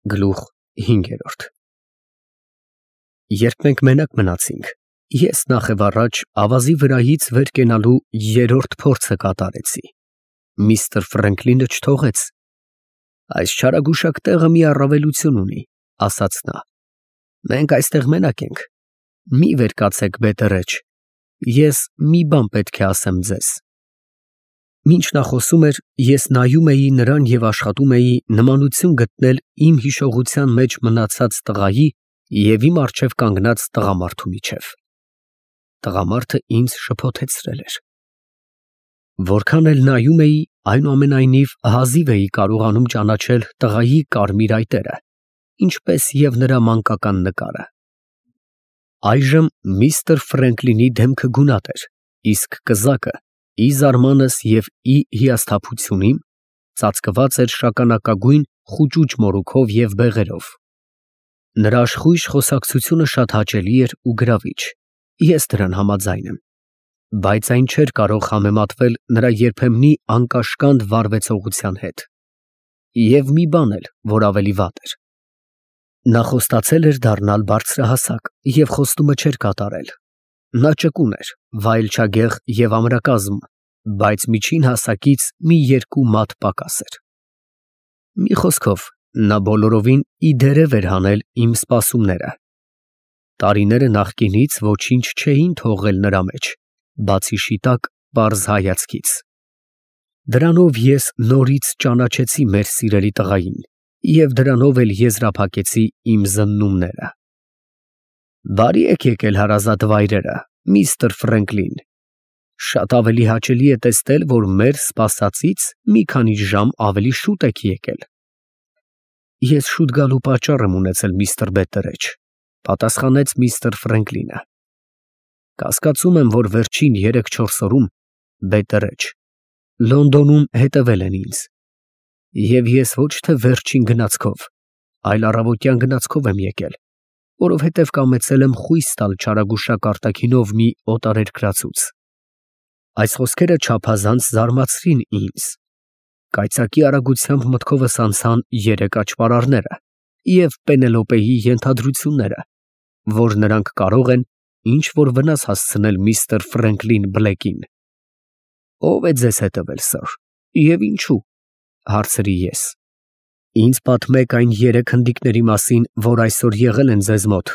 Գլուխ 5 Երբ մենք մենակ մնացինք, ես նախևառաջ ավազի վրայից վեր կենալու երրորդ փորձը կատարեցի։ Միսթր Ֆրենկլինը չթողեց։ Այս չարագուշակ տեղը մի առավելություն ունի, ասաց նա. մենք այստեղ մենակ ենք, մի վեր կացեք բետերեջ, ես մի բան պետք է ասեմ ձեզ։ Մինչ նա խոսում էր, ես նայում էի նրան և աշխատում էի նմանություն գտնել իմ հիշողության մեջ մնացած տղայի և իմ առջև կանգնած տղամարդու միջև։ Տղամարդը ինձ շփոթեցրել էր։ Որքան էլ նայում էի, այնուամենայնիվ հազիվ էի կարողանում ճանաչել տղայի կարմիր այտերը, ինչպես և նրա մանկական նկարը։ Այժմ միսթր Ֆրենկլինի դեմքը գունատ էր, իսկ կզակը, ի զարմանս և ի հիասթափություն իմ, ծածկված էր շագանակագույն խուճուճ մորուքով և բեղերով։ Նրա աշխույժ խոսակցությունը շատ հաճելի էր ու գրավիչ, ես դրան համաձայն եմ, բայց այն չէր կարող համեմատվել նրա երբեմնի անկաշկանդ վարվեցողության հետ։ Եվ մի բան էլ, որ ավելի վատ էր. նա խոստացել էր դառնալ բարձրահասակ և խոստումը չէր կատարել։ Նա ճկուն էր, վայելչագեղ և ամրակազմ, բայց միջին հասակից մի երկու մատ պակաս էր։ Մի խոսքով, նա բոլորովին ի դերև էր հանել իմ սպասումները։ Տարիները նախկինից ոչինչ չէին թողել նրա մեջ, բացի շիտակ, պարզ հայացքից։ Դրանով ես նորից ճանաչեցի մեր սիրելի տղային և դրանով էլ եզրափակեցի իմ զննումները։ Բարի եք եկել հարազատ վայրերը, միսթր Ֆրենկլին։ Շատ ավելի հաճելի է տեսնել, որ մեր սպասածից մի քանի ժամ ավելի շուտ եք եկել։ Ես շուտ գալու պատճառ եմ ունեցել, միսթր Բետտերեջ, պատասխանեց միսթր Ֆրենկլինը։ Կասկածում եմ, որ վերջին 3-4 օրում Բետտերեջ, Լոնդոնում հետևել են ինձ։ Եվ ես ոչ թե վերջին գնացքով, այլ առավոտյան գնացքով եմ եկել, որովհետև կամեցել եմ խույս տալ չարագուշակ արտաքինով մի օտարերկրացուց։ Այս խոսքերը չափազանց զարմացրին ինձ։ Կայծակի արագությամբ մտքովս անցան 3 աճպարարները և Պենելոպեի ենթադրությունները, որ նրանք կարող են ինչ֊որ վնաս հասցնել միսթր Ֆրենկլին Բլեքին։ Ո՞վ է ձեզ հետևել, սըր, և ինչո՞ւ, հարցրի ես։ Ինձ պատմեք այն 3 հնդիկների մասին, որ այսօր եղել են ձեզ մոտ։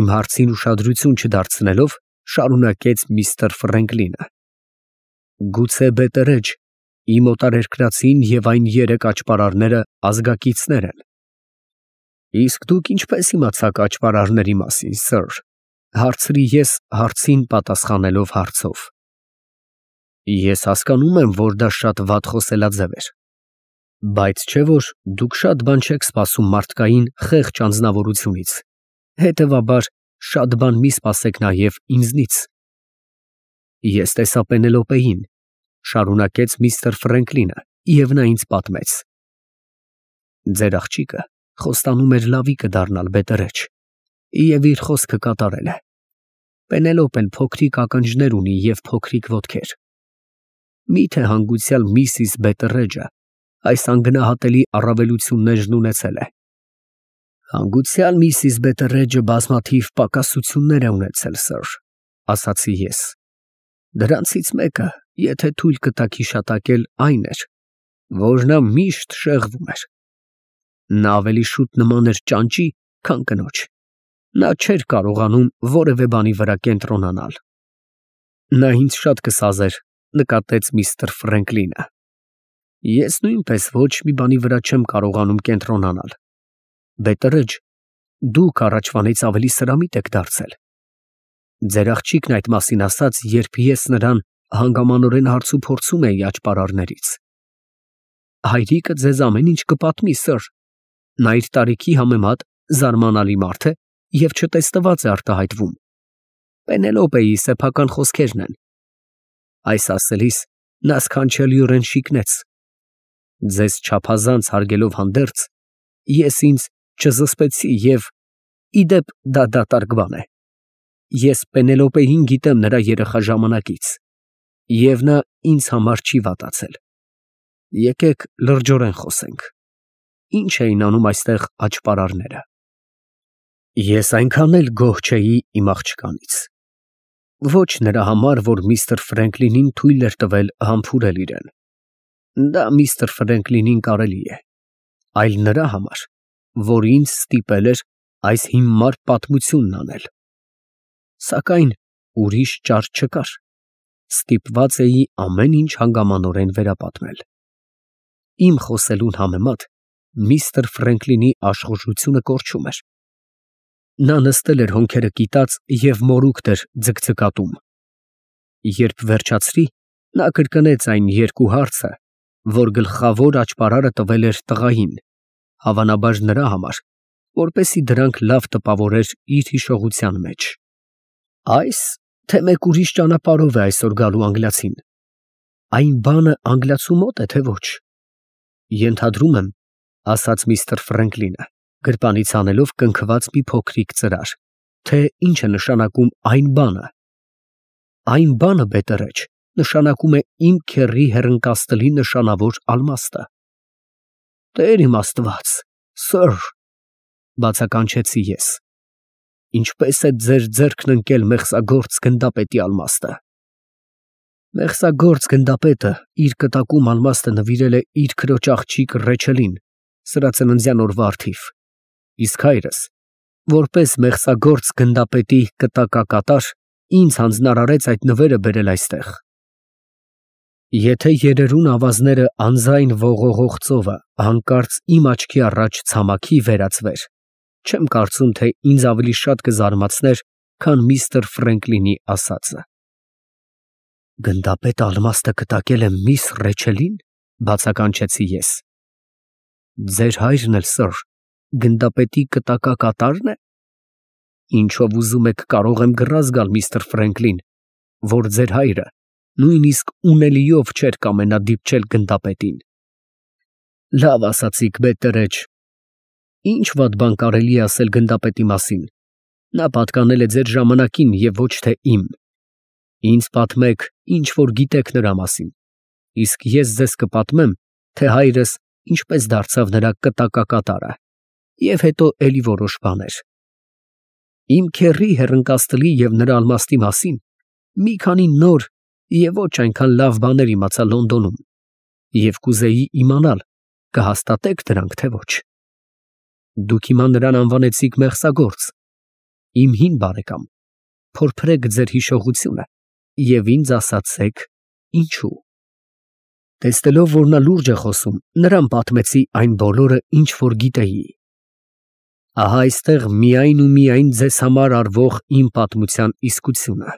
Իմ հարցին ուշադրություն չդարձնելով, շարունակեց միսթր Ֆրենկլինը։ Գուցե Բետտերեջ, իմ օտարերկրացին և այն 3 աճպարարները ազգակիցներ են։ Իսկ դուք ինչպես իմացաք աճպարարների մասին, սըր, հարցրի ես հարցին պատասխանելով հարցով։ Ես հասկանում եմ, որ դա շատ վատ խոսելաձև էր, բայց չէ՞ որ դուք շատ բան չեք սպասում մարդկային խեղճ անձնավորությունից, հետևաբար շատ բան մի սպասեք նաև ինձնից։ Ես տեսա Պենելոպեին, շարունակեց միսթր Ֆրենկլինը, և նա ինձ պատմեց։ Ձեր աղջիկը խոստանում էր լավիկը դառնալ Բետտերեջ և իր խոսքը կատարել է։ Պենելոպեն փոքրիկ ականջներ ունի և փոքրիկ ոտքեր։ Մի՞թե հանգուցյալ Միսիս Բետտերեջը այս անգնահատելի առավելություններն ունեցել է։ Հանգուցյալ Միսիս Բետտերեջը բազմաթիվ պակասություններ է ունեցել, սըր, ասացի ես։ Դրանցից մեկը, եթե թույլ կտաք հիշատակել, այն էր, որ նա միշտ շեղվում էր։ Նա ավելի շուտ նման էր ճանճի, քան կնոջ։ Նա չէր կարողանում որևէ բանի վրա կենտրոնանալ։ Նա ինձ շատ կսազեր, նկատեց միսթր Ֆրենկլինը։ Ես նույնպես ոչ մի բանի վրա չեմ կարողանում կենտրոնանալ։ Բետտերեջ, դուք առաջվանից ավելի սրամիտ եք դարձել։ Ձեր աղջիկն այդ մասին ասաց, երբ ես նրան հանգամանորեն հարցուփորձում էի աճպարարներից։ Հայրիկը ձեզ ամեն ինչ կպատմի, սըր։ Նա իր տարիքի համեմատ զարմանալի մարդ է և չտեսնված է արտահայտվում։ Պենելոպեի սեփական խոսքերն են։ Այս ասելիս նա սքանչելիորեն շիկնեց։ Ձեզ չափազանց հարգելով հանդերձ, ես ինձ չզսպեցի և, ի դեպ, դա դատարկ բան է։ Ես Պենելոպեին գիտեմ նրա երեխա ժամանակից, և նա ինձ համար չի վատացել։ Եկեք լրջորեն խոսենք։ ինչ էին անում այստեղ աճպարարները։ Ես այնքան էլ գոհ չէի իմ աղջկանից։ Ոչ նրա համար, որ միստր Ֆրենկլինին թույլ էր տվել համբուրել իրեն։ Դա միստր Ֆրենկլինին կարելի է, այլ նրա համար, որ ինձ ստիպել էր այս հիմար պատմությունն անել։ Սակայն ուրիշ ճար չկար, ստիպված էի ամեն ինչ հանգամանորեն վերապատմել։ Իմ խոսելուն համեմատ միստր Ֆրենկլինի աշխուժությունը կորչում էր։ Նա նստել էր հոնքերը կիտած և մորուքն էր ձգձգատում։ Երբ վերջացրի, նա կրկնեց այն երկու հարցը, որ գլխավոր աճպարարը տվել էր տղային, հավանաբար նրա համար, որպեսզի դրանք լավ տպավորեր իր հիշողության մեջ։ Այս, թե մեկ ուրիշ ճանապարհով է այսօր գալու անգլիացին։ Այն բանը անգլիացու մոտ է, թե ոչ։ Ենթադրում եմ, ասաց միստր Ֆրենկլինը, գրպանից անելով կնքված մի փոքրիկ ծրար, թե ինչ է նշանակում այն բանը։ Այն բանը, բետերեջ, նշանակում է իմ քեռի հեռընկածտլի նշանավոր ալմաստը։ Տեր իմ Աստված, սըր, բացականչեցի ես, ինչպես է ձեր ձեռքն ընկել մեղսագործ գնդապետի ալմաստը։ Մեղսագործ գնդապետը իր կտակում ալմաստը նվիրել է իր քրոջ աղջիկ Ռեչելին, սրածննդյան օրվա առթիվ, իսկ հայրս, որպես մեղսագործ գնդապետի կտակակատար, ինձ հանձնարարեց այդ նվերը բերել այստեղ։ Եթե երերուն ավազները անձայն ողողող ծովը հանկարծ իմ աչքի առաջ ցամաքի վերածվեր, չեմ կարծում, թե ինձ ավելի շատ կզարմացներ, քան միստր Ֆրենկլինի ասածը։ Գնդապետը ալմաստը կտակել է միս Ռեչելին, բացականչեցի ես։ Ձեր հայրն էլ, սըր, գնդապետի կտակակատարն է։ Ինչով ուզում եք կարող եմ գրազ գալ, միստր Ֆրենկլին, որ ձեր հայրը նույնիսկ ունելիով չէր կամենա դիպչել գնդապետին։ Լավ ասացիք, բետերեջ։ Ինչ վատ բան կարելի է ասել գնդապետի մասին։ Նա պատկանել է ձեր ժամանակին և ոչ թե իմ։ Ինձ պատմեք, ինչ որ գիտեք նրա մասին, իսկ ես ձեզ կպատմեմ, թե հայրս ինչպես դարձավ նրա կտակակատարը, և հետո էլի որոշ բաներ։ Իմ քեռի հեռընկածտլի և նրա ալմաստի մասին մի քանի նոր և ոչ այնքան լավ բաներ իմացա Լոնդոնում, և կուզեի իմանալ, կհաստատեք դրանք, թե ոչ։ Դուք հիմա նրան անվանեցիք մեղսագործ։ Իմ հին բարեկամ, փորփրեք ձեր հիշողությունը և ինձ ասացեք ինչու։ Տեսնելով, որ նա լուրջ է խոսում, նրան պատմեցի այն բոլորը, ինչ որ գիտեի։ Ահա այստեղ միայն ու միայն ձեզ համար արվող իմ պատմության իսկությունը։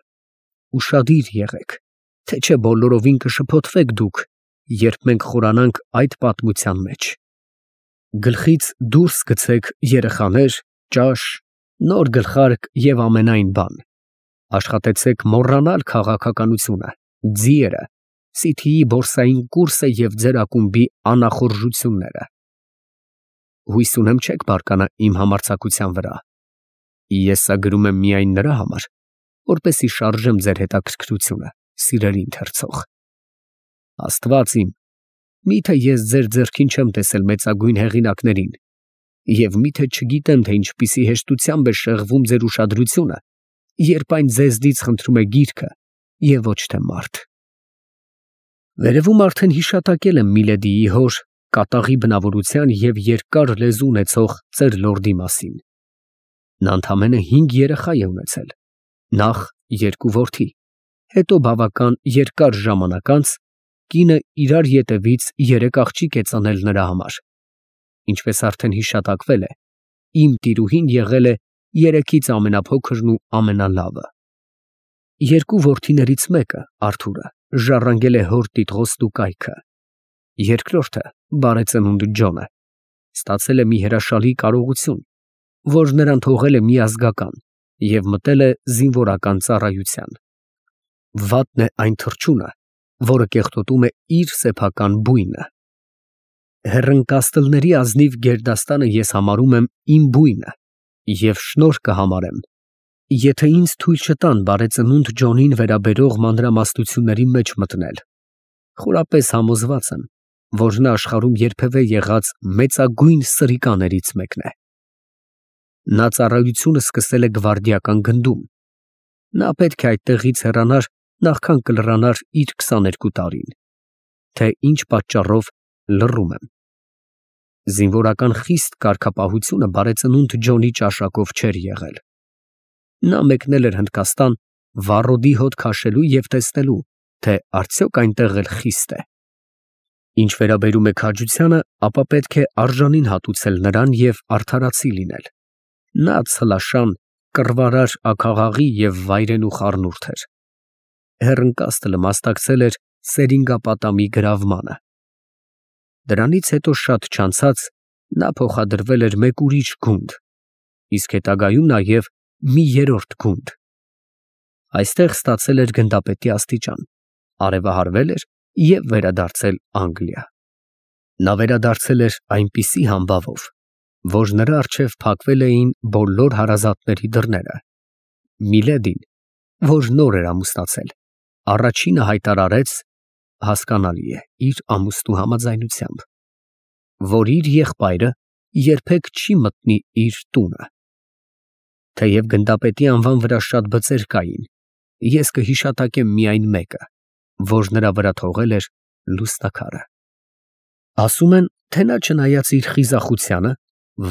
Ուշադիր եղեք, թե չէ բոլորովին կշփոթվեք դուք, երբ մենք խորանանք այդ պատմության մեջ։ Գլխից դուրս գցեք երեխաներ, ճաշ, նոր գլխարկ և ամենայն բան։ Աշխատեցեք մոռանալ քաղաքականությունը, ձիերը, Սիթիի բորսային կուրսը և ձեր ակումբի անախորժությունները։ Հույս ունեմ չեք բարկանա իմ համարձակության վրա։ Ես սա գրում եմ միայն նրա համար, որպեսզի շարժեմ ձեր հետաքրքրությունը, սիրելի ընթերցող։ Աստված իմ, միթե ես ձեր ձեռքին չեմ տեսել մեծագույն հեղինակներին, և միթե չգիտեմ, թե ինչպիսի հեշտությամբ է շեղվում ձեր ուշադրությունը, երբ այն ձեզնից խնդրում է գիրքը և ոչ թե մարդ։ Վերևում արդեն հիշատակել եմ Միլեդիի հոր կատաղի բնավորության և երկար լեզու ունեցող ծեր լորդի մասին։ Նա ընդամենը 5 երեխա է ունեցել, նախ 2 որդի, հետո բավական երկար ժամանակ անց կինը իրար ետևից 3 աղջիկ է ծնել նրա համար։ Ինչպես արդեն հիշատակվել է, իմ տիրուհին եղել է 3-ից ամենափոքրն ու ամենալավը։ 2 որդիներից մեկը, Արթուրը, ժառանգել է հոր տիտղոստ ու կայքը։ Երկրորդը, բարեծնունդ Ջոնը, ստացել է մի հրաշալի կարողություն, որ նրան թողել է միազգական և մտել է զինվորական ծառայության։ Վատն է այն թռչունը, որը կեղտոտում է իր սեփական բույնը։ Հեռընկածտլների ազնիվ գերդաստանը ես համարում եմ իմ բույնը և շնորհ կհամարեմ, եթե ինձ թույլ չտան բարեծնունդ Ջոնին վերաբերող մանրամասնությունների մեջ մտնել։ Խորապես համոզված եմ, որ նա աշխարհում երբևէ եղած մեծագույն սրիկաներից մեկն է։ Նա ծառայությունը սկսել է գվարդիական գնդում։ Նա պետք է այդտեղից հեռանար, նախքան կլրանար իր 22 տարին, թե ինչ պատճառով լռում եմ։ Զինվորական խիստ կարգապահությունը բարեծնունդ Ջոնի ճաշակով չէր եղել։ Նա մեկնել էր Հնդկաստան վառոդի հոտ քաշելու և տեսնելու, թե արդյոք այնտեղ էլ խիստ է։ Ինչ վերաբերում է քաջությանը, ապա պետք է արժանին հատուցել նրան և արդարացի լինել։ Նա ցլաշան, կռվարար աքաղաղի և վայրենու խառնուրդ էր։ Հեռընկաստլը մասնակցել էր Սերինգապատամի գրավմանը։ Դրանից հետո շատ չանցած նա փոխադրվել էր մեկ ուրիշ գունդ, իսկ հետագայում նաև մի երրորդ գունդ։ Այստեղ ստացել էր գնդապետի աստիճան, արևահարվել էր և վերադարձել Անգլիա։ Նա վերադարձել էր այնպիսի համբավով, որ նրա առջև փակվել էին բոլոր հարազատների դռները։ Միլեդին, որ նոր էր ամուսնացել, առաջինը հայտարարեց, հասկանալի է, իր ամուսնու համաձայնությամբ, որ իր եղբայրը երբեք չի մտնի իր տունը։ Թեև գնդապետի անվան վրա շատ բծեր կային, ես կհիշատակեմ միայն մեկը, որ նրա վրա թողել էր լուսնակարը։ Ասում են, թե նա չնայած իր խիզախությանը,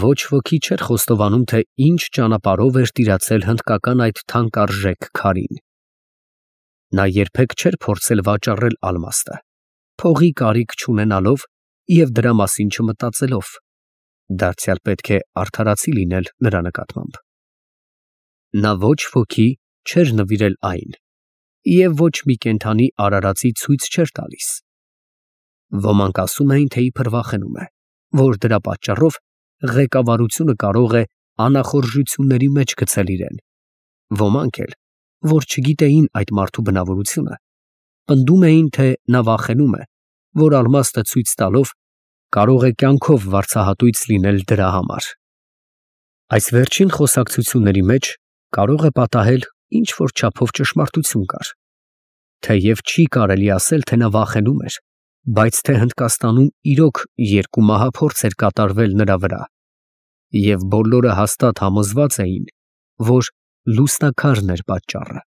ոչ ոքի չէր խոստովանում, թե ինչ ճանապարհով էր տիրացել հնդկական այդ թանկարժեք քարին։ Նա երբեք չէր փորձել վաճառել ալմաստը, փողի կարիք չունենալով և դրա մասին չմտածելով, դարձյալ պետք է արդարացի լինել նրա նկատմամբ։ Նա ոչ ոքի չէր նվիրել այն և ոչ մի կենդանի արարածի ցույց չէր տալիս։ Ոմանք ասում էին, թե իբր վախենում է, որ դրա պատճառով ղեկավարությունը կարող է անախորժությունների մեջ գցել իրեն։ Ոմանք էլ, որ չգիտեին այդ մարդու բնավորությունը, պնդում էին, թե նա վախենում է, որ ալմաստը ցույց տալով կարող է կյանքով վարձահատույց լինել դրա համար։ Այս վերջին խոսակցությունների մեջ կարող է պատահել ինչ-որ չափով ճշմարտություն կար։ Թեև չի կարելի ասել, թե նա վախենում էր, բայց թե Հնդկաստանում իրոք երկու մահափորձ էր կատարվել նրա վրա, և բոլորը հաստատ համոզված էին, որ լուսնաքարն էր պատճառը։